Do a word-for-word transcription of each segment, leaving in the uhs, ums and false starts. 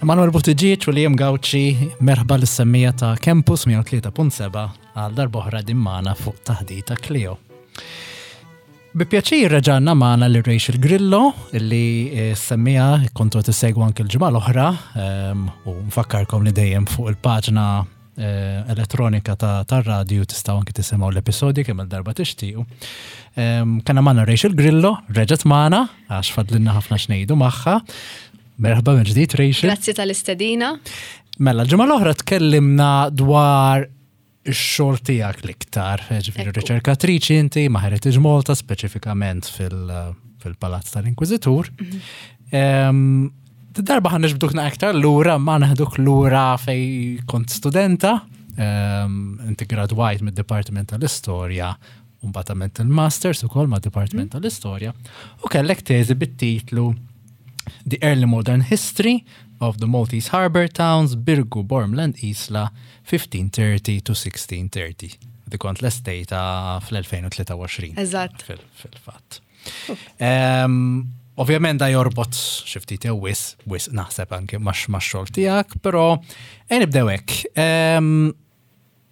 Emanuel Buttigieg u Liam Gauci, merħba lis-semmiegħa ta' Campus mija u tlieta punt sebgħa għal darb'oħra din magħna fuq Taħdita Kleo. Bi pjaċir reġgħanna magħna lil Rachel Grillo, illi eh, semmiegħa kontu tissegwu anke l-ġimgħa l-oħra, ehm, u nfakkarkom li dejjem fuq il-paġna eh, elettronika ta' tar-radju tistgħu anke tisimgħu l-episodji kemm il-darba tixtiequ. Ehm, Kellna magħna Rachel Grillo, reġgħet magħna, għax fadlilna ħafna x'ngħidu magħha. Merħba minn ġdid, Rachel. Grazzi tal-istedina. Mela, l-ġimgħa l-oħra tkellimna dwar ix-xogħol tiegħek l-iktar, ġifieri Ekku. riċerkatriċi inti ma' Heritage Malta, speċifikament fil- fil-Palazz tal-Inkwiżitur. Em, Darba ħa niġbduk aktar lura, ma neħduk lura fej kont studenta, em, inti gradwajt mid-Dipartiment tal-Istorja, u mbagħad għamilt il-Masters ukoll mad-Dipartiment tal-Istorja, u kellek teżi bit-titlu The Early Modern History of the Maltese Harbour Towns, Birgu, Bormla and Isla, fifteen thirty to sixteen thirty. Di kont lestejtha fl-elfejn u tlieta u għoxrin. Eżatt. Fil- Fil-fatt. Em, Ovvjament da jorbot xi ftit jew wisq, wisq naħseb anke max-xogħol tiegħek, però ejja nibdew hekk. Em,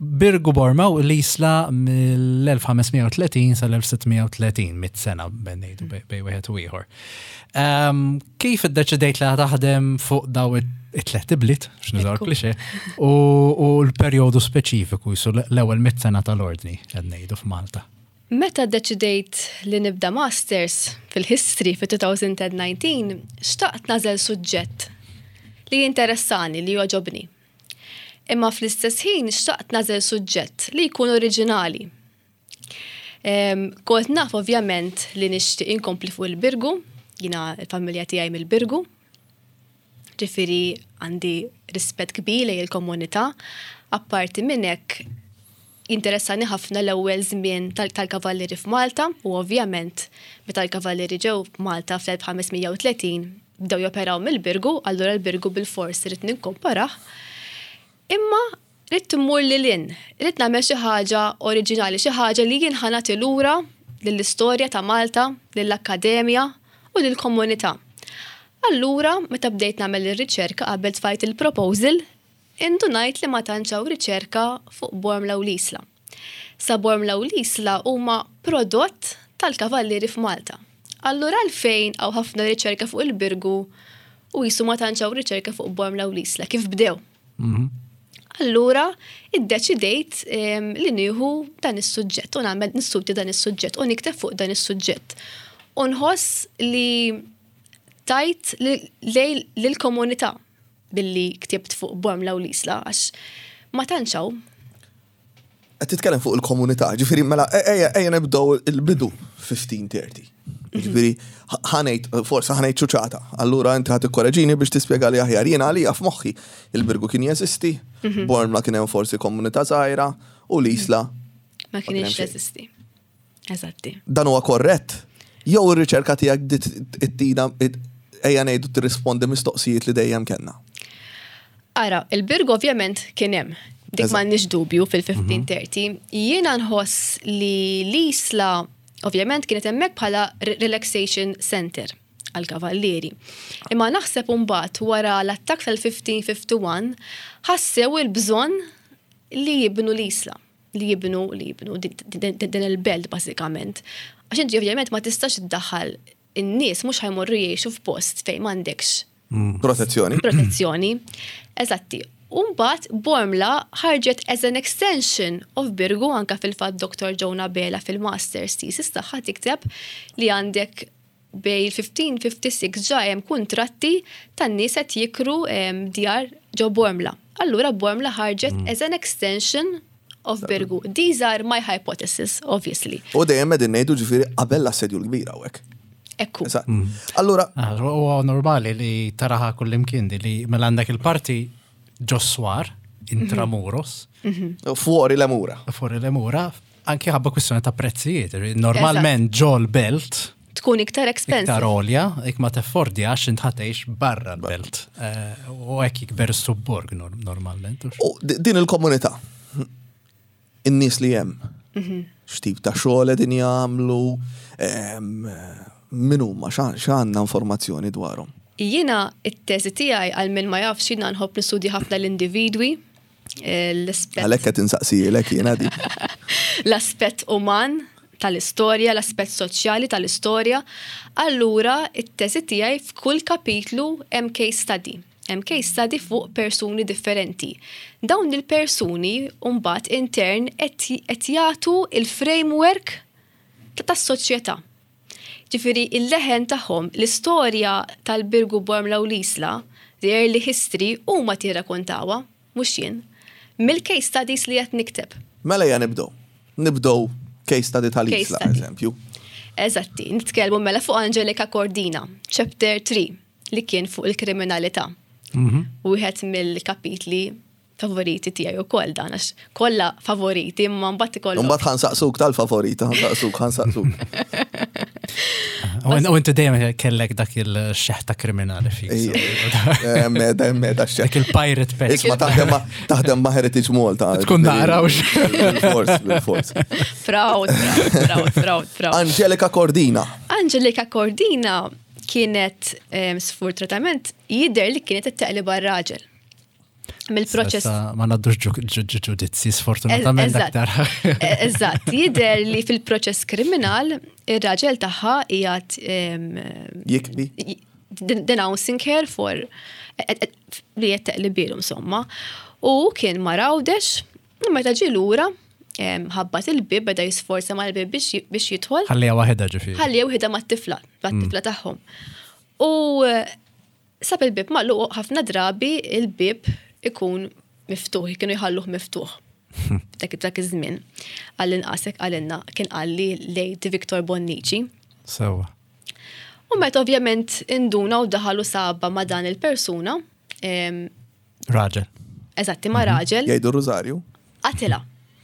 Birgu, Bormla u l-Isla mill-elf ħames mija u tletin sal-elf sitt mija u tletin, mitt sena bejn ngħidu bej bej wieħed u ieħor. Em, Kif iddeċidejt li taħdem fuq daw it-tlet ibliet, x'nużaw Ekku. klixe, u u l-perjodu speċifiku jisu l-ewwel mitt sena tal-ordni qed ngħidu f'Malta? Meta deċidejt li nibda masters fil-history fi elfejn u dsatax, xtaqt nagħżel suġġett li jinteressani, li jogħġobni. Imma fl-istess ħin xtaqt nagħżel suġġett li jkun oriġinali. Em, Kont naf ovvjament li nixtieq inkompli fuq il-Birgu, jiena l-familja tiegħi mill-Birgu, ġifieri għandi rispett kbir lejn il-komunità. Apparti minn hekk interessani ħafna l-ewwel żmien tal- tal-kavallieri f'Malta u ovvjament meta l-kavallieri ġew f'Malta fl-elf ħames mija u tletin bdew joperaw mill-Birgu, allura l-Birgu bil-fors ridt ninkomparah. Imma ridt immur lil hinn, ridt nagħmel xi ħaġa oriġinali, xi ħaġa li jien ħa nagħti lura lill-istorja ta' Malta, lill-akkademja u lill-komunità. Allura, meta bdejt nagħmel ir-riċerka qabel tfajt il-proposal, indunajt li ma tantx hawn riċerka fuq Bormla u l-Isla. Sa Bormla u l-Isla huma prodott tal-kavallieri f'Malta. Allura għalfejn hawn ħafna riċerka fuq il-Birgu u jisu ma tantx hawn riċerka fuq Bormla u l-Isla, kif bdew? Allura, iddeċidejt em, li nieħu dan is-suġġett u nagħmel nistudja dan is-suġġett u nikteb fuq dan is-suġġett. U nħoss li tajt li- lej lill-komunità billi ktibt fuq Bormla u l-Isla għax ma tantx hawn. Qed titkellem fuq il-komunità, ġifieri mela ejja ejja nibdew il-bidu fifteen thirty. Ġifieri ħa ngħid, forsi ħa ngħid ċuċata. Allura inti ħa tikkoreġini biex tispjega li aħjar. Jiena għalija f'moħħi il-Birgu kien jeżisti, Bormla kien hemm forsi komunità żgħira u l-Isla Ma kien kienx hemm xejn. jeżisti. Eżatti. Dan huwa korrett? Jew ir-riċerka tiegħek bdiet ittina ejja ngħidu tirrispondi mistoqsijiet li dejjem kellna? Ara, il-Birgu ovvjament kien hemm. Dik Eżatt. m'għandniex dubju fil-fifteen thirty. Jiena nħoss li l-Isla ovvjament kienet hemmhekk bħala re- relaxation center għal-kavallieri. Imma naħseb mbagħad wara l-attakk tal-fifteen fifty-one ħassew il-bżonn li jibnu l-Isla, li jibnu li jibnu din- din din il-belt bażikament. Għax inti ovvjament ma tistax iddaħħal in-nies, mhux ħa jmorru jgħixu f'post fejn m'għandekx Protezzjoni. protezzjoni. Eżatti. Umbat Bormla ħarġet as an extension of Birgu. Anka fil-fatt Doctor Jonah Bela fil-Masters thesis tagħha tikteb li għandek bej il-fifteen fifty-six ġa hemm kuntratti tan-nies qed jikru em, djar ġo Bormla. Allura Bormla ħarġet as an extension of Birgu. These are my hypothesis, obviously. U dejjem qegħdin ngħidu ġifieri qabel l-assedju l-kbir hawnhekk. Ekku. Eżatt. Allura, Ah, Huwa normali li taraha kullimkien di li mela għandek il-parti ġos-swar, intramuros, fuori le mura. Fuori le mura, anki ħabba kwistjoni ta' prezzijiet. Normalment ġol belt, Tkun iktar expensive. Iktar għolja, ik ma teffordjax int ħa tgħix barra l-belt. Eh, U hekk jikber subborg nor- normalment. U di- din il-komunità, in-nies li hemm, x'tip ta' xogħol qegħdin jagħmlu, em, min huma, x'għandna informazzjoni dwarhom? Jiena it-teżi tiegħi, għal min ma jafx, jiena nħobb nistudja ħafna l-individwi, eh, l-aspett Għalhekk qed insaqsijilek jiena di. L-aspett uman tal-istorja, l-aspett soċjali tal-istorja. Allura, it-teżi tiegħi f'kull kapitlu hemm case study. Hemm case study fuq persuni differenti. Dawn il-persuni mbagħad intern qed jagħtu il-framework tas-soċjetà. Ġifieri il-leħen tagħhom, l-istorja tal-Birgu, Bormla u l-Isla, the early history, huma tirrakkontawha, mhux jien. Mill-case studies li qed nikteb. Mela ja nibdow. Nibdow case study tal-Isla, Case study. eżempju. Eżatti, nitkellmu mela fuq Angelika Cordina, chapter tlieta, li kien fuq il-kriminalità. Wieħed mill-kapitli favoriti tiegħi wkoll dan, għax kollha favoriti, imma mbagħad ikollok. Mbagħad ħa nsaqsuk tal-favorita, ħa nsaqsuk, ħa nsaqsuk. U u inti dejjem kellek dak il-xeħta kriminali fik. Ejja. Meda, meda Dak xeħ. il-pirate pet. Isma, taħdem ma' taħdem ma' Heritage Malta. Tkun naqra u Bil-fors, bil-fors. Proud, proud, proud, proud, proud. Angelika Cordina. Angelika Cordina kienet em, sfortunatament jidher li kienet teqleb ar-raġel. Mill-proċess Issa ma ngħaddux ġudizzi, sfortunatament Eżatt. aktar. Eżatt, jidher li fil-proċess kriminal ir-raġel tagħha qiegħed em, Jikbi. denouncing her for li qed teqlibilu insomma. U kien mar Għawdex, u meta ġie lura, em, ħabbat il-bib, beda jisforza mal-bib biex biex jidħol. Ħallija waħedha ġifieri. Ħalli waħedha mat-tifla, mat-tifla tagħhom. U eh, sab il-bib magħluq. Ħafna drabi il-bib ikun miftuħ, kienu jħalluh miftuħ. Dak dak iż-żmien. Għall-inqas hekk għalinna kien qalli late Victor Bonnici. Sewa. U meta ovvjament induna u daħalu saba ma' dan il-persuna, em, Raġel. Eżatti, ma' raġel, Jgħidu Rosario. Qatila.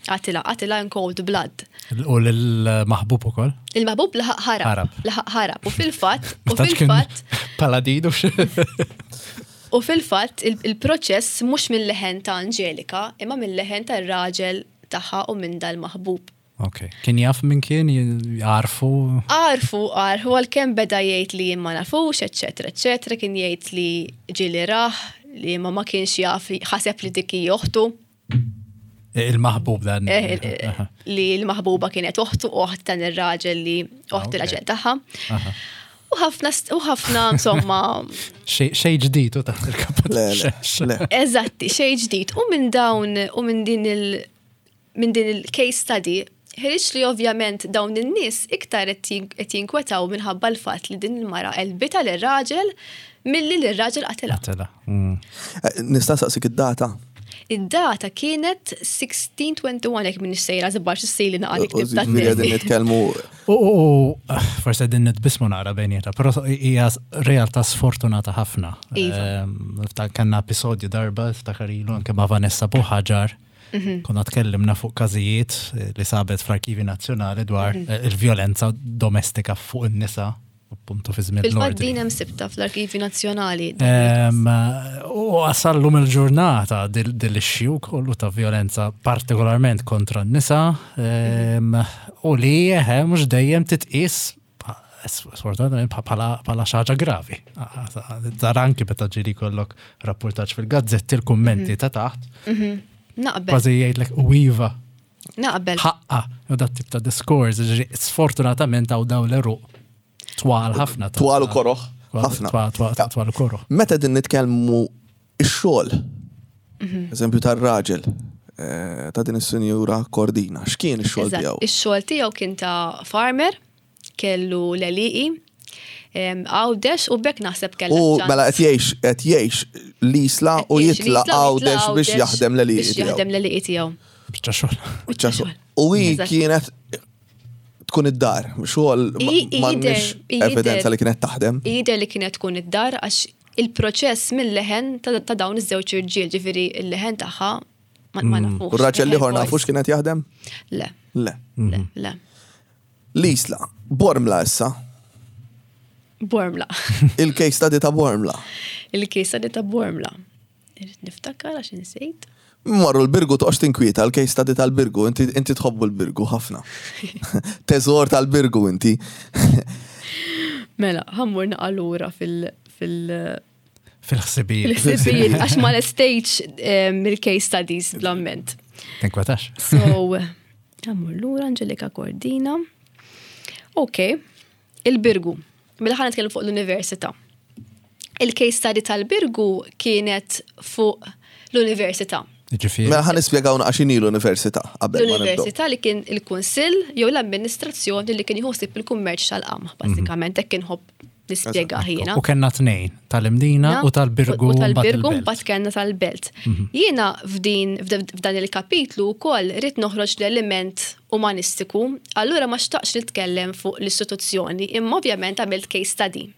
Qatila, qatila in cold blood. U l-maħbub ukoll. Il-maħbub laħaq ħarab. Ħarab. Laħaq ħarab. U fil-fatt, u Ma tantx kien fil-fatt, Paladinu. U fil-fatt il- il-proċess mhux mill-leħen ta' Angelika, imma mill-leħen tar-raġel tagħha u minn dal-maħbub. Ok. Kien jaf minn kien, jarfu. Għarfu, għarfu, għalkemm beda jgħid li ma nafux, eccetera, eccetera, kien jgħid li ġieli rah, li ma ma kienx jaf, ħaseb li dik hija oħtu. Il-maħbub dan. Eh, eh, li l-maħbuba kienet oħtu, oħt dan ir-raġel li oħt Ok. ir-raġel tagħha. Aha. U ħafna, u ħafna, insomma, Xej ġdid u taħt il-kappa. Le, le, le. Eżatti, xej ġdid. U minn dawn, u minn din il- minn din il-case study, ħareġ li ovvjament dawn in-nies iktar qed jin- qed jinkwetaw minħabba l-fatt li din il-mara qelbitha lir-raġel milli lir-raġel qatilha. Qatela. Mm. Eh, Nista' nsaqsik id-data? Id-data kienet sittax twientijn, jekk minn sejra żbax issejli naqali U ktib ta' ġifieri qegħdin nitkellmu U, u, u, forse din nitbismu naqra bejnietna, pero hija realtà sfortunata ħafna. Iva. Ehm, Niftakar kellna episodju darba, ftakar ilu, anke ma' Vanessa Buħaġar, Mhm. konna tkellimna fuq każijiet eh, li sabet fl-Arkivi Nazzjonali dwar Mhm. eh, il-vjolenza domestika fuq in-nisa, appuntu fi żmien Fil-fatt l-ordni. din hemm sibta fl-Arkivi Nazzjonali. Ehm, U għasallum il-ġurnata dil-issue kollu ta' violenza partikolarment kontra n-nisa ehm, u li eħe mhux dejjem titqis sfortunatament bħala bħala xi ħaġa gravi. Tara anki meta ġieli kollok rapportaġġ fil-gazzetti, il-kummenti ta' taħt, Naqbel, kważi jgħidlek u iva, naqbel. ħaqqa, u dat tip ta' diskors, ġifieri, sfortunatament għaw daw l-eruq twal ħafna. ta' Twal u koroħ, ħafna. Twal, twal, twal u koroħ. Meta din nitkellmu ix-xogħol, Mhm. eżempju tar-raġel, eh, ta' din is-sinjura Cordina, x'kien ix-xogħol Eżatt. tiegħu? Ix-xogħol tiegħu kien ta' farmer, kellu l-għelieqi, Għawdex, u bekk naħseb kellha U ċans. mela qed jgħix qed jgħix l-Isla u Qed jgħix jitla' l-Isla u jitla' Għawdex biex jaħdem l-għelieqi Biex jaħdem tiegħu. l-għelieqi tiegħu. Biċċa xogħol. Biċċa xogħol. U hi Eżatt. kienet tkun id-dar, xogħol I- i- m'għandniex jidher- evidenza li kienet taħdem. Jidher li kienet tkun id-dar għax il-proċess mill-leħen ta' ta' dawn iż-żewġ irġiel, ġifieri il-leħen tagħha ma ma nafux. U r-raġel l-ieħor Voice. nafux kienet jaħdem? Le, Le. le, le. L-Isla, Bormla issa, Bormla. il-case study ta' Bormla. Il-case study ta' Bormla. Irrid niftakar għax insejt. Marru l-Birgu, toqgħodx tinkwieta, l-case study tal-Birgu, inti inti tħobbu l-Birgu ħafna. Teżor tal-Birgu inti. Mela, ħa mmur naqra lura fil- fil- Fil-ħsibijiet. fil-ħsibijiet għax ma l-stage il-case studies bl-amment. Tinkwetax. So, ħa mmur lura Angelika Cordina. Ok, il-Birgu. Mela ħa nitkellem fuq l-università. Il-case study tal-Birgu kienet fuq l-università. Ġifieri. Mela ħa nispjegaw x'inhi l-università qabel ma nibdew. L-università li kien il-kunsill jew l-amministrazzjoni li kien jħossib il-kummerċ tal-qamħ, bażikament hekk inħobb nispjega jiena. U kellna tnejn, tal-Imdina u tal-Birgu. U mbagħad tal-Birgu il-Belt. mbagħad kellna tal-Belt. Jiena f'din f'dan il-kapitlu wkoll ridt noħroġ l-element umanistiku, allura ma xtaqx nitkellem fuq l-istituzzjoni, imma ovvjament għamilt case study.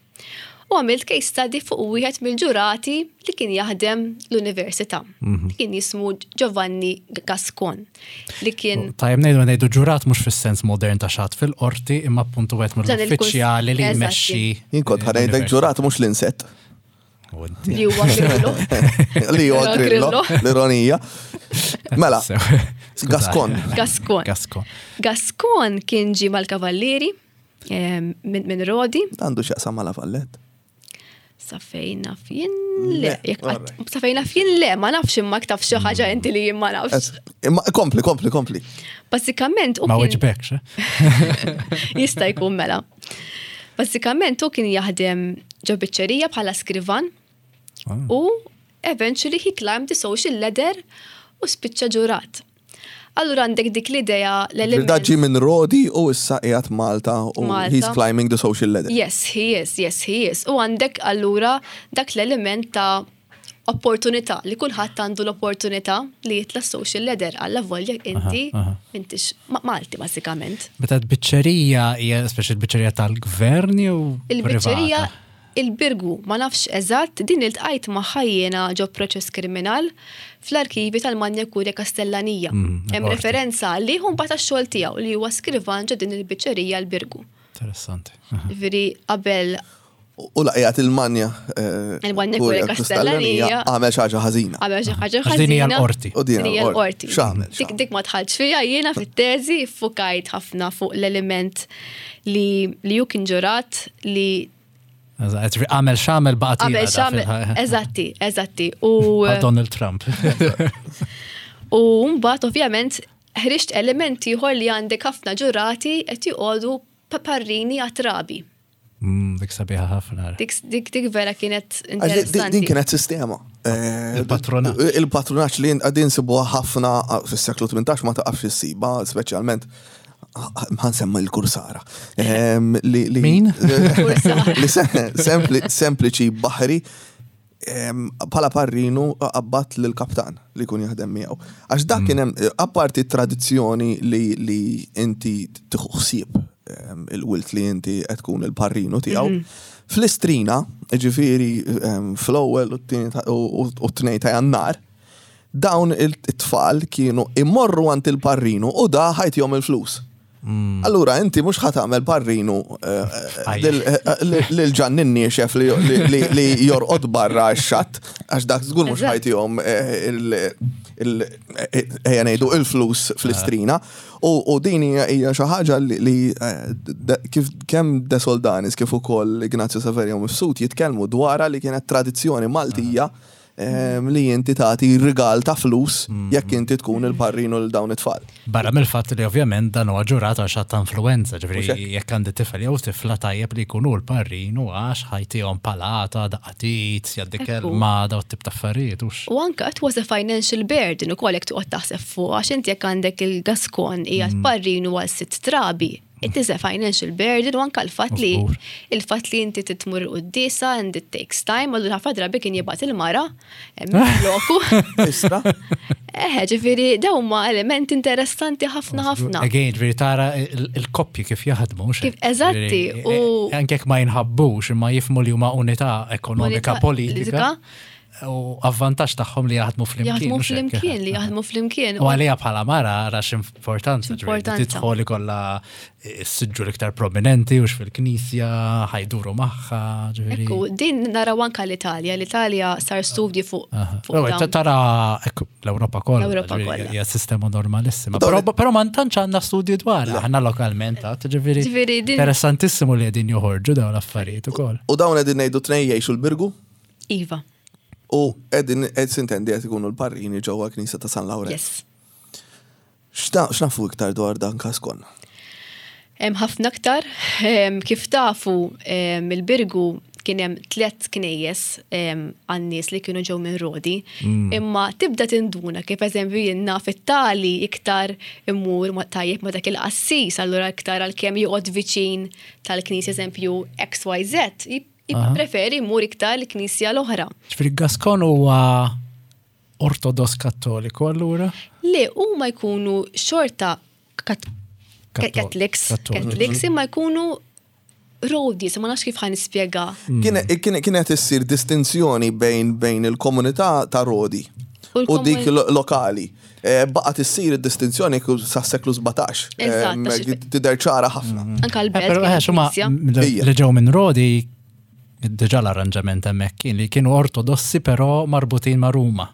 U għamilt case study fuq wieħed mill-ġurati li kien jaħdem l-università. Li kien jismu Giovanni Gascon. Li kien Tajjeb ngħidu ngħidu ġurat mhux fis-sens modern ta' xi ħadd fil-qorti imma appuntu wieħed Dan il-kuns- mill-uffiċjali li Eżatti. jmexxi. Jien kont ħa ngħidlek ġurat mhux l-insett. U inti. li huwa Grillo. Li huwa Grillo, Grillo. l-ironija. Mela, Sew. Gascon. Gascon. Gascon. Gascon kien ġi mal-Kavallieri eh, minn min Rodi. Għandu x'jaqsam ma' La Vallette. Sa fejn naf jien le. Le, Jekk qatt- alright. Sa fejn naf jien le, ma nafx imma taf xi ħaġa inti li jien ma nafx. Imma kompli, kompli, kompli. Bażikament u Ma kien weġbekx, eh? jista' jkun mela. Bażikament u kien jaħdem ġo biċċerija bħala skrivan Ah. u eventually he climbed the social ladder u spiċċa ġurat. Allura għandek dik l-idea l-element. Da ġi minn Rodi u issa qiegħed Malta u Malta. he's climbing the social ladder. Yes, he is, yes, he is. U għandek allura dak l-element ta' opportunità, li kulħadd għandu l-opportunità li jitla social ladder għalla volja inti, aha. intix ma- Malti bażikament. Meta l-biċċerija hija speċi l-biċċerija tal-gvern jew Il-biċċerija privata? il-Birgu, ma nafx eżatt, din iltqajt magħha jiena ġo proċess kriminal fl-arkivi tal-Manja Kurja Kastellanija. Mm, Hemm il-qorti. referenza li hu mbagħad tax-xogħol tiegħu li huwa skrivan ġo din il-biċċerija l-Birgu. Interessanti. Aha. Ġifieri qabel U laqjat il-manja. eh, Il-Manja Kurja Kastellanija. Għamel xi ħaġa ħażina. Għamel xi ħaġa Għax din hija ħażina. l-qorti. U din Din hija l-qorti. X'għamel? Dik dik ma dħaltx fiha jiena fit-teżi ffukajt ħafna fuq l-element li li hu kien ġurat li Eżatt, Għamel x'għamel baqa' qabel x'għamel. Eżatti, eżatti. U Donald Trump. u mbagħad ovvjament ħriġt element ieħor li għandek ħafna ġurati qed joqogħdu parrini għat-trabi. Mm, Dik sabiħa ħafna. Dik dik dik vera kienet Għax di- di- interessanti. Din kienet sistema. Eh, Il-patronaġġ. Il-patronaġġ li għadin nsibuha ħafna fis-seklu tmintax ma taqafx issiba, speċjalment ħa nsemmi l-kursara. Em, li- li- Min? Kursara. Li se- sempli- sempliċi baħri em, bħala parrinu qabbat lill-kaptan li kun jaħdem miegħu. Għax dak kien hemm apparti tradizzjoni li li inti tieħu ħsieb em, il-wilt li inti qed tkun il-parrinu tiegħu. Fl-istrina, ġifieri em, fl-ewwel u t-tieni ta- u u t-tnejn ta' Jannar, dawn it-tfal kienu immorru għand il-parrinu u da ħa jtihom il-flus. Allura, inti mhux ħa tagħmel parrinu eh, Ajja. lil- eh, lil ġannin niexef li, li, li, li jorqod barra x-xatt, għax dak żgur mhux Eżatt. ħa jtihom eh, il- il- eh, ejja ngħidu il-flus fl-istrina. U, u din hija hija xi ħaġa li, li eh, de- kif kemm De Soldanis kif ukoll Ignazio Saverio Mifsud jitkellmu dwarha li kienet tradizzjoni Maltija em, li inti tagħti rigal ta' flus jekk inti tkun il-parrinu l dawn it-tfal. Barra mill-fatt li ovvjament dan huwa ġurat għax ta' influenza, Mhux ġifieri hekk. jekk għandi tifel jew tifla tajjeb li jkunu l-parrinu għax ħa jtihom palata, daqqa t'id, jgħaddi Ekku. kelma, daw tip ta' affarijiet hux. U anka it was a financial burden ukoll jekk toqgħod taħseb fuq għax inti jekk għandek il-Gaskon qiegħed parrinu għal sitt trabi. It is a financial burden u anka l-fatt li Żgur. il-fatt li inti titmur il-quddisa and it takes time, allura ħafna drabi kien jibgħat il-mara hemm loku. Istra? Eħe, ġifieri dawn huma elementi interessanti ħafna ħafna. Again, ġifieri tara il- il-koppji kif jaħdmu. hux Kif- hekk? eżatti, Ġifieri, u- eh, Anke jekk ma jinħabbux imma jifhmu li huma unità ekonomika Unità politika. U avvantaġġ tagħhom li jaħdmu flimkien. Jaħdmu mhux hekk? flimkien, li jaħdmu flimkien. U għalija bħala mara għara x'importanza, ġifieri, X'importanza. tidħol ikollha s-siġġu l-iktar prominenti u fil-knisja, ħa jduru magħha, ġifieri. Ekku, din naraw anka l-Italja. L-Italja sar studji fuq fuq Ewwel, dawn. Tara ekku, l-Ewropa kollha. L-Ewropa ġifieri, kollha. Hija sistema normalissima. Dawn- Però però ma tantx għandna studji dwar, aħna lokalment, għad, ġifieri. Ġifieri din- Interessantissimu li qegħdin joħorġu dawn l-affarijiet ukoll. U dawn qegħdin ngħidu tnejn jgħixu l-Birgu Iva, u qegħdin qed sintendi qed ikunu l-parrini ġewwa Knisja ta' San Lawrenz. yes. X'ta- X'nafu iktar dwar dan Gascon? Hemm ħafna aktar. Em, Kif tafu em, il-Birgu kien hemm tliet knejjes em, għan-nies li kienu ġew minn Rodi. Imma tibda tinduna kif eżempju jien naf it-tali iktar immur ma tajjeb ma dak il-qassis, allura iktar għalkemm joqgħod viċin tal-knisja eżempju X Y Z, jippreferi jmur iktar l-knisja l-oħra. Ġifieri Gascon huwa ortodoss kattoliku allura? Le, huma jkunu xorta kat Kattol- Catholics, kattoliċi. Catholics imma jkunu Rodi, ma nafx kif ħa nispjega. Kien- kien- Kienet issir distinzjoni bejn bejn il-komunità ta' Rodi U u dik l-komun- lo- lokali. Eh, Baqgħet issir id-distinzjoni ku- sa' seklu sbatax. Eżatt, Em, għax- Tidher ċara ħafna. Anka Eh, l-belt. Però kienet eh, xuma knisja. Ija. li ġew minn Rodi diġà l-arranġament hemmhekk kien li kienu ortodossi però marbutin ma' Ruma.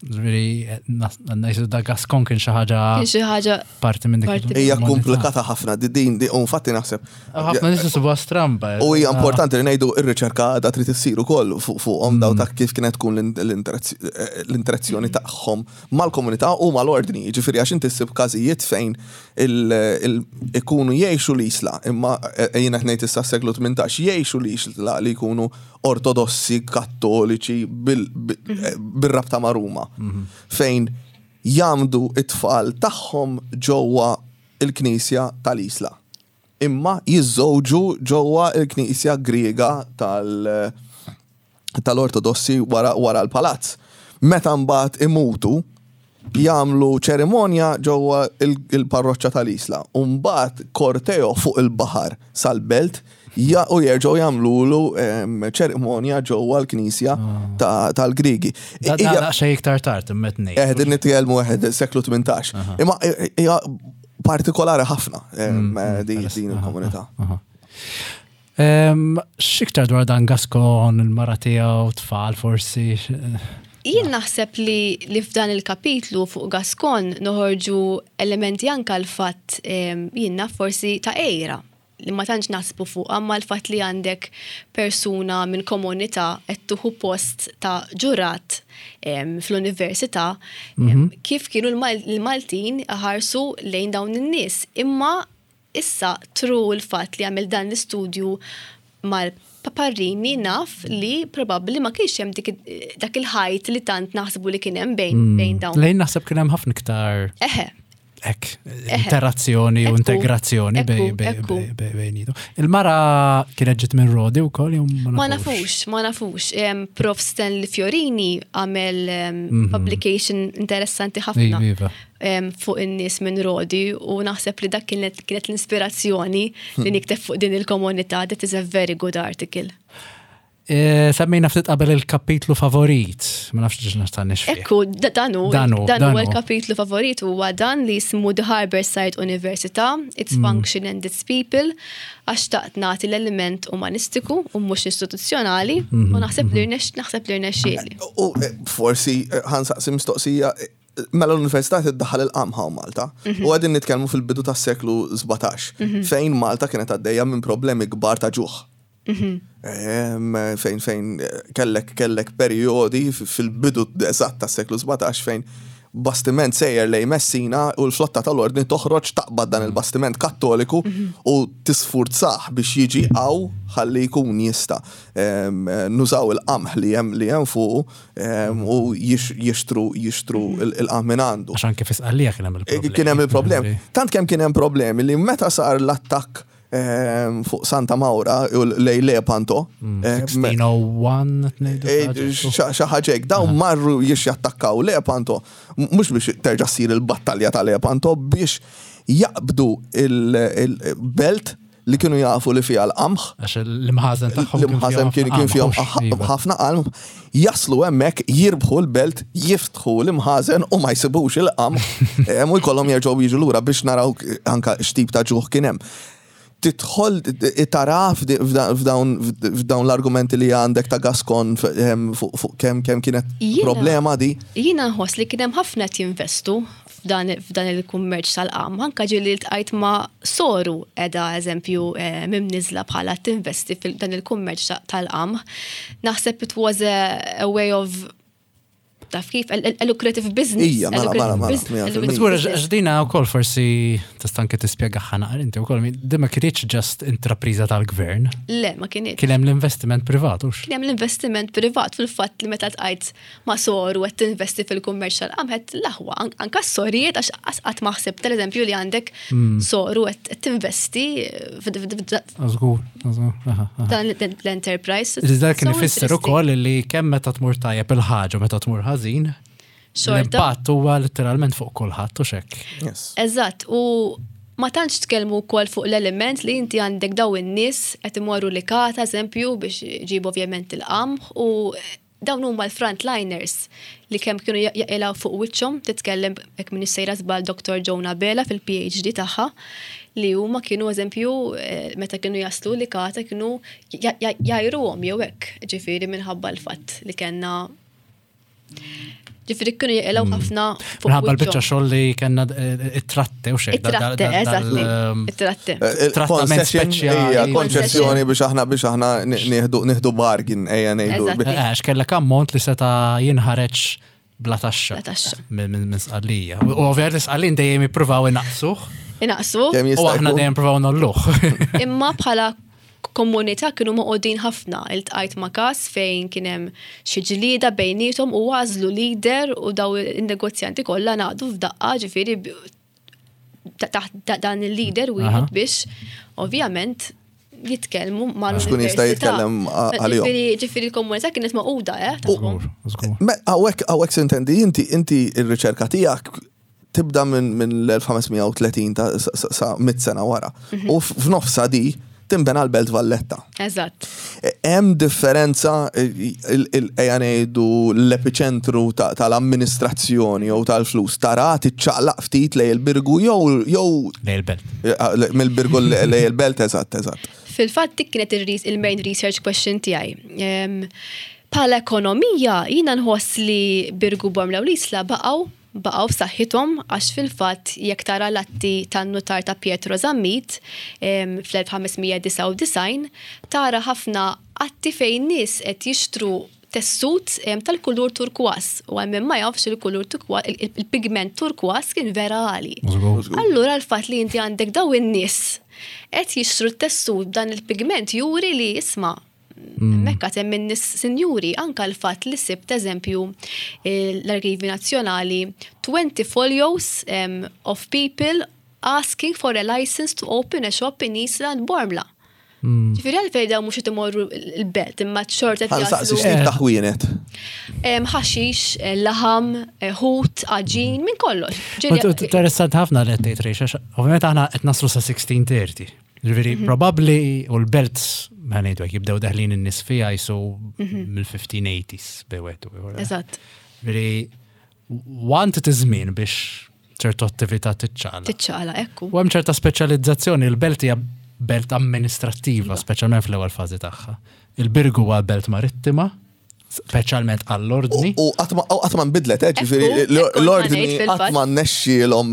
Ġifieri ngħidu da Gascon kien xi ħaġa Kien xi ħaġa parti minn dik parti- Hija il-komunità. komplikata ħafna di din di u infatti naħseb. Ħafna nies isibuha stramba. U hija importanti li ngħidu ir-riċerka għadha trid issir ukoll fuq fuqhom daw ta' kif kienet tkun l-interazz- eh, l-interazzjoni tagħhom mal-komunità u mal-ordni. Ġifieri għax inti ssib każijiet fejn il- il- ikunu jgħixu l-Isla, imma eh, jiena qed ngħid issa s-seklu tmintax jgħixu l-Isla li jkunu ortodossi, kattoliċi bil- bil- eh, bir-rabta ma' Ruma. Fejn jgħammdu it-tfal tagħhom ġewwa il-Knisja tal-Isla imma jiżżewġu ġewwa il-Knisja Griega tal- tal-Ortodossi wara, wara l-palazz. Meta mbagħad imutu, jagħmlu ċerimonja ġewwa il- il-parroċċa tal-Isla. U mbagħad korteo fuq il-baħar sal-belt ja, u jerġgħu jagħmlulu em, ċerimonja ġewwa l-Knisja ta- tal-Grigi. Da Hija- da xejn iktar tard imma ngħid. Eh, din nitkellmu eħed seklu tmintax. Imma hija partikolari ħafna em, di- din il-komunità. Em, X'iktar dwar dan Gascon, il-mara tiegħu, tfal forsi. Jien naħseb li, li f'dan il-kapitlu fuq Gascon noħorġu elementi anka l-fatt em, jien naf forsi ta' ejra li ma tantx naħsbu fuq, amma l-fatt li għandek persuna minn komunità qed tieħu post ta' ġurat em, fl-università, em, kif kienu l-Mal- l-Maltin ħarsu lejn dawn in-nies. Imma issa through il-fatt li għamil dan l-istudju mal-Paparrini naf li probabbli ma kienx hemm dik dak il-ħajt li tant naħsbu li kien hemm bejn bejn dawn. Lejn naħseb kien hemm ħafna iktar Eħe, ek, interazzjoni u Ekku, integrazzjoni bej ekku, bej ekku. bej bej bejnietu. Il-mara kienet ġiet minn Rodi wkoll jew Ma nafux, ma nafux. Em, Prof Stanley Fiorini għamel em, publication interessanti ħafna Iva, iva. em, fuq in-nies minn Rodi u naħseb li dak kienet kienet l-inspirazzjoni li nikteb fuq din il-komunità. That is a very good article. E, Semmejna ftit qabel il-kapitlu favorit, ma nafx ġiġ nafx fih. Ekku, da- dan hu, Dan hu, dan dan hu hu. il-kapitlu favorit huwa dan li jismu The Harbour-Side Università, Its Mm. Function and Its People, għax taqt nagħti l-element umanistiku u mhux istituzzjonali Mhm, u naħseb li rnex naħseb li rnexxieli. U eh, forsi eh, ħa nsaqsi mistoqsija, eh, mela l-Università tiddaħħal il-qamħa Malta u qegħdin nitkellmu fil-bidu tas-seklu sbatax fejn Malta kienet għaddejja minn problemi kbar ta' ġuħ. Em, Fejn fejn eh, kellek kellek periodi f- fil-bidu eżatt tas-seklu sbatax fejn bastiment sejjer lej Messina u l-flotta tal-ordni toħroġ taqbad dan il-bastiment kattoliku u tisfurzah biex jiġi għaw ħalli jkun jista em, nużaw il-qamħ li hemm li hemm fuqu em, u jix- jixtru jixtru il- il-qamħ minn għandu. Għax anke fi Sqallija kien hemm il-problemi. Kien hemm il-problemi. Tant kemm kien hemm problemi li meta sar l-attakk em, fuq Santa Maura u lej Lepanto. em, sixteen oh one ngħidu Eh, ħaġa. Xi ħaġa hekk, dawn marru jiex jattakkaw Lepanto, m- mhux biex terġa' ssir il-battalja ta' Lepanto, biex jaqbdu il-belt li kienu jafu li fiha l-qamħ. Għax l-imħazen tagħhom L-imħazen kien kien fihom iva. ħafna qamħ, jaslu hemmhekk, jirbħu l-belt, jiftħu l-imħazen u ma jsibux il-qamħ u jkollhom jerġgħu jiġu lura biex naraw anka x'tip ta' ġuħ kien hemm. Tidħol tara f'dawn f'dawn l-argumenti li għandek ta' Gascon fuq kemm kemm kienet Jiena- problema di. Jiena nħoss li kien hemm ħafna qed jinvestu f'dan f'dan il-kummerċ tal-qamħ. Anka ġieli ltqajt ma' soru edha eżempju eh, mimniżla bħala tinvesti f'dan il-kummerċ ta- tal-qamħ. Naħseb it was a, a way of, taf kif, a, a lucrative business. Ija, A mela, lucrative mela, mela, bus- mija a fil-mija. lucrative Żgur, business. għax dina wkoll forsi tista' anke tispjega ħana inti wkoll, di ma kienx just intrapriża tal-gvern, Le, ma kienx. kien hemm l-investiment privat, hux? Kien hemm l-investiment privat. Fil-fatt li meta ltqajt ma' soru qed tinvesti fil-kummerċ tal-qamħ, l-aħwa an- anka s-sorijiet, għax għas qatt ma ħsibt eżempju li għandek soru qed tinvesti Żgur, żgur, aha, aha. dan l-enterprise. Iżda kien So ifisser interesting. ukoll li kemm meta tmur tajjeb il-ħaġa u meta tmur ħażin, Xorta. l-impatt huwa letteralment fuq kulħadd u xek. Yes. Eżatt, u ma tantx tkellmu wkoll fuq l-element li inti għandek daw in-nies qed imorru Licata, eżempju, biex ġibu ovvjament il-qamħ, u dawn huma l-frontliners li kemm kienu jaqilgħu fuq wiċċhom. Titkellem, hekk min sejra żball, Doktor Jonah Bela fil-P H D tagħha, li huma kienu eżempju eh, meta kienu jaslu Licata kienu jgħajruhom jew hekk, ġifieri minħabba l-fatt li kellna, ġifieri kienu jaqilgħu ħafna fuq Minħabba l-biċċa wiċċhom. xogħol li kellna eh, it-tratte u xek. It-tratte, eżatt, ehm, it-tratte. Trattament Concession, speċjali. ija, konċessjoni biex aħna biex aħna nieħdu nieħdu bargain, ejja ngħidu. Eżatt. Għax kellek ammont li seta jinħareġ bla taxxa. Bla taxxa. Minn minn- minn Sqallija. U ovvjament l-Sqallin dejjem jippruvaw inaqsuh Inaqsu. Kemm u jista' aħna jkun. dejjem provaw nolluh. Imma bħala komunità kienu magħqudin ħafna. Iltqajt ma' każ fejn kien hemm xi ġlieda bejniethom u għażlu leader u daw in-negozjanti kollha ngħaqdu f'daqqa, ġifieri b- ta- taħt da- dan il-leader Aha. wieħed biex ovvjament jitkellmu mal Biex kun jista' jitkellem għalihom. Ġifieri ġifieri l-komunità kienet magħquda, eh, tagħhom. Żgur, żgur. Me, Hawnhekk hawnhekk sintendi inti inti ir-riċerka tiegħek tibda minn min l-elf ħames mija u tletin ta' sa- sa sa mitt sena wara. U f'nofsa di timbena l-Belt Valletta. Eżatt. E, Hemm differenza, ejja ngħidu l-epiċentru ta- tal-amministrazzjoni jew tal-flus tara tiċċaqlaq ftit lejn il-Birgu jew jew Lejn il-belt. eh, mill-Birgu lejn il-Belt, eżatt, eżatt. Fil-fatt dik kienet il- il-main research question tiegħi. Em, Bħala ekonomija, jiena nħoss li Birgu, Bormla u l-Isla baqgħu baqgħu b'saħħithom, għax fil-fatt jekk tara l-atti tan-nutar ta' Pietro Zammit em, fl-elf ħames mija disgħa u disgħin, tara ħafna atti fejn nies qed jixtru tessut em, tal-kulur turkwas, u għal min ma jafx, il-kulur turkwas, il-pigment turkwas kien vera għali. Żgur. Allura l-fatt li inti għandek daw in-nies qed jixtru t-tessut b'dan il-pigment juri li, isma', mekka hemm in-nies sinjuri. Anka l-fatt li sibt eżempju eh, l-Arkivi Nazzjonali, twenty folios um, of people asking for a license to open a shop in Isla and Bormla. Ġifieri għalfejn daw mhux qed imorru l-belt imma xorta qed Ħa nsaqsi jaslu. x'tip ta' ħwienet. Em, ħaxix, eh, laħam, eh, ħut, għaġin, minn kollox. Ġifieri- Ma Interessant ħafna li qed tgħid, Rejx, għax ovvjament aħna qed naslu sa sixteen thirty. Ġifieri probabbli u l-belt, ma ngħidu hekk, jibdew deħlin in-nies fiha jisu mill-fifteen eighties bewet. Eżatt. Ġifieri want iż-żmien biex ċertu attività tiċċaqla. Tiċċaqla, ekku. U hemm ċerta speċjalizzazzjoni, il-belt hija belt amministrattiva, speċjalment fl-ewwel fażi tagħha. Il-Birgu huwa belt marittima, speċjalment għall-ordni. U qatt ma u qatt ma nbidlet, eh, ġifieri Ekku, ekku, l-ordni ngħid fil-fatt. qatt ma nnexxielhom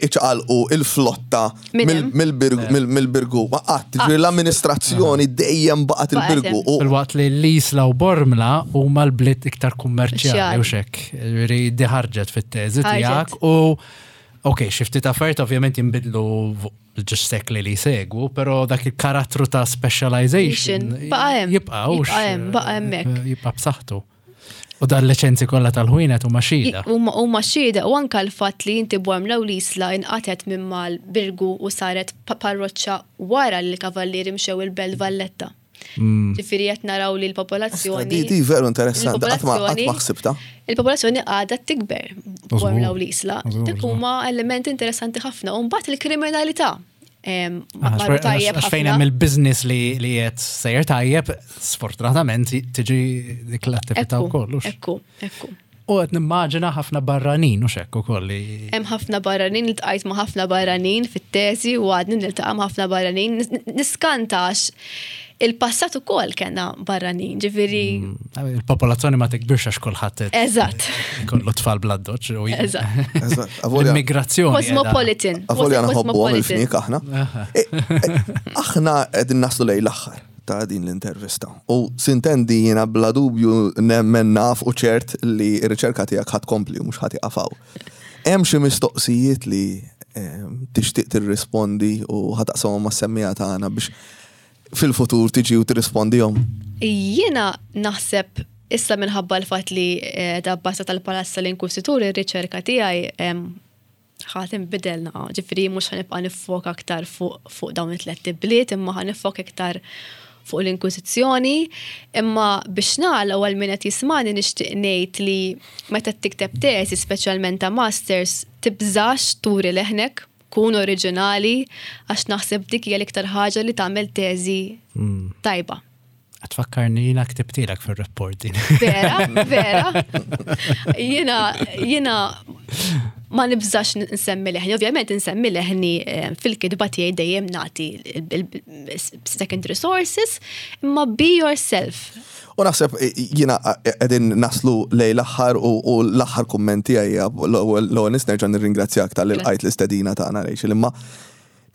iċaqalqu il-flotta Minn mill- hemm. mill-Birgu, mill- mill-Birgu. Ma qatt, ġifieri l-amministrazzjoni dejjem baqgħet il-Birgu. Baqgħet U Fil-waqt li l-Isla u Bormla huma l-bliet iktar kummerċjali Kummerċjali. u xek. Ġifieri di ħarġet fit-teżi Ħarġet. tiegħek u ok, xi ftit affarijiet ovvjament jinbidlu ġex sekli li segwu, pero dak il-karattru ta' specialization Baqa' hemm. jibqa' hux, Jibqa' hemm, baqa' hemmhekk. Jibqa' b'saħħtu. U dan liċenzi kollha tal-ħwienet huma xhieda. Huma huma xhieda, u anka l-fatt li inti Bormla u l-Isla inqatet minn mal-Birgu u saret pa- parroċċa wara li l-kavallieri mxew il-Belt Valletta. Ġifieri qed naraw li l-popolazzjoni. Di di veru interessanti, qatt ma qatt ma ħsibta. Il-popolazzjoni għadha tikber Bormla u l-Isla. Żgur, Dik żgur. huma elementi interessanti ħafna. U mbagħad il-kriminalità. Em, marru tajjeb Għax fejn ħafna. Hemm il-business li li qed sejjer tajjeb, sfortunatament tiġi dik l-attività Ekku, wkoll. Hux? Ekku, ekku. U qed nimmaġina ħafna barranin u hekk ukoll li Hemm ħafna barranin, iltqajt ma' ħafna barranin fit-teżi u għadni niltaqa' ma' ħafna barranin. Nis- Niskantax il-passat ukoll kellna barranin, ġifieri. Il-popolazzjoni ma tikbirx għax kulħadd qed Eżatt. ikollu tfal bl-addoċċ u Eżatt. Eżatt, avolja- L-immigrazzjoni. qiegħda- Cosmopolitan. Avolja nħobbu għom Cosmopolitan. il-fniek aħna. E, e, Aħna qegħdin naslu lejn l-aħħar ta' din l-intervista. U sintendi jiena bla dubju nemmen naf u ċert li r-riċerka tiegħek ħa tkompli u mhux ħa tieqaf hawn. Hemm xi mistoqsijiet li em, tixtieq tirrispondi u ħa taqsamhom mas-semmiegħa tagħna biex fil-futur tiġi u tirrispondihom? Jiena naħseb issa, minħabba l-fatt li eh, da basta tal-Palazz tal-Inkwiżitur, ir-riċerka tiegħi em, ħa tinbidel naqa, ġifieri mhux ħa nibqa' niffoka aktar fuq fuq dawn it-tliet bliet, imma ħa niffoka iktar fuq l-Inkwiżizzjoni, imma biex nagħlaq, għal min qed jismani, nixtieq ngħid li meta tikteb teżi, speċjalment ta' masters, tibżax turi leħnek, kun oriġinali, għax naħseb dik hija l-iktar ħaġa li tagħmel teżi tajba. Tfakkarni jiena ktibtilek fil-report din. Vera, vera. Jiena, jiena ma nibżax nsemmi leħni. Ovvjament nsemmi leħni eh, fil-kitba tiegħi, dejjem nagħti secondary sources, imma be yourself. U naħseb eh, jiena qegħdin naslu lejn l-aħħar u u l-aħħar kummenti għajja l-ewwel nis nerġa' nirringrazzjak talli lqajt l-istedina tagħna, Rachel, imma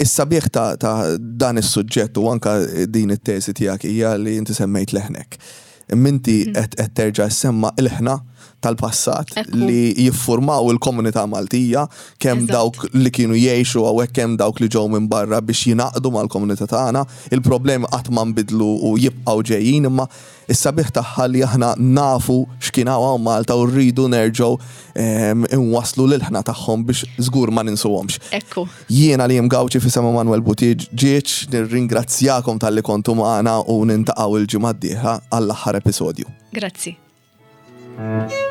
is-sabiħ ta' ta' dan is-suġġett u anka din it-teżi tiegħek hija li inti semmejt leħnek. Minti qed qed terġa' semma il-ħna tal-passat Ekku. li jiffurmaw il-komunità Maltija, kemm Eżatt. dawk li kienu jgħixu hawnhekk, kemm dawk li ġew minn barra biex jingħaqdu mal-komunità tagħna. Il-problemi qatt ma nbidlu u jibqgħu ġejjin, imma is-sabiħ tagħha li aħna nafu x'kien hawn Malta u rridu nerġgħu em, inwasslu l-ilħna tagħhom biex żgur ma ninsuhomx. Ekku. Jiena li Gauci f'isem Manuel Buttigieg nirringrazzjakom talli kontu magħna u niltaqgħu il-ġimgħa d-dieħla għall-aħħar episodju. Grazzi. Thank